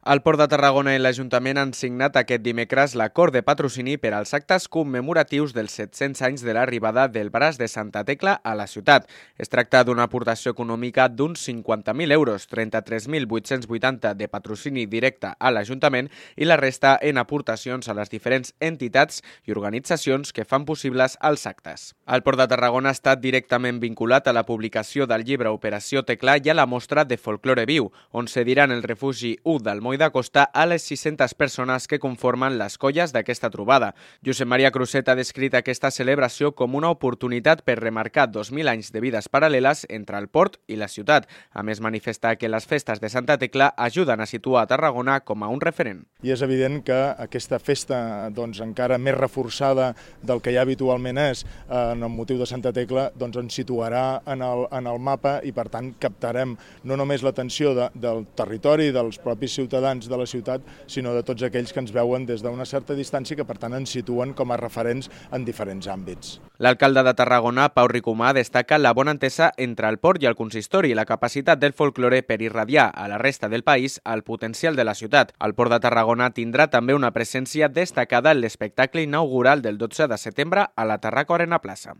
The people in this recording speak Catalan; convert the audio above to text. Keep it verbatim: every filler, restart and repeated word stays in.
El Port de Tarragona i l'Ajuntament han signat aquest dimecres l'acord de patrocini per als actes commemoratius dels set-cents anys de l'arribada del braç de Santa Tecla a la ciutat. Es tracta d'una aportació econòmica d'uns cinquanta mil euros, trenta-tres mil vuit-cents vuitanta de patrocini directe a l'Ajuntament i la resta en aportacions a les diferents entitats i organitzacions que fan possibles els actes. El Port de Tarragona ha estat directament vinculat a la publicació del llibre Operació Tecla i a la mostra de folklore viu, on cediran el refugi u del Moll d'Acosta a les sis-centes persones que conformen les colles d'aquesta trobada. Josep Maria Crusset ha descrit aquesta celebració com una oportunitat per remarcar dos mil anys de vides paral·leles entre el port i la ciutat. A més, manifesta que les festes de Santa Tecla ajuden a situar a Tarragona com a un referent. I és evident que aquesta festa, doncs, encara més reforçada del que ja habitualment és en el motiu de Santa Tecla, doncs ens situarà en el, en el mapa i per tant captarem no només l'atenció de, del territori, dels propis ciutadans de la ciutat, sinó de tots aquells que ens veuen des d'una certa distància i que per tant ens situen com a referents en diferents àmbits. L'alcalde de Tarragona, Pau Ricomà, destaca la bona entesa entre el port i el consistori i la capacitat del folklore per irradiar a la resta del país el potencial de la ciutat. El Port de Tarragona tindrà també una presència destacada en l'espectacle inaugural del dotze de setembre a la Tarraco Arena Plaça.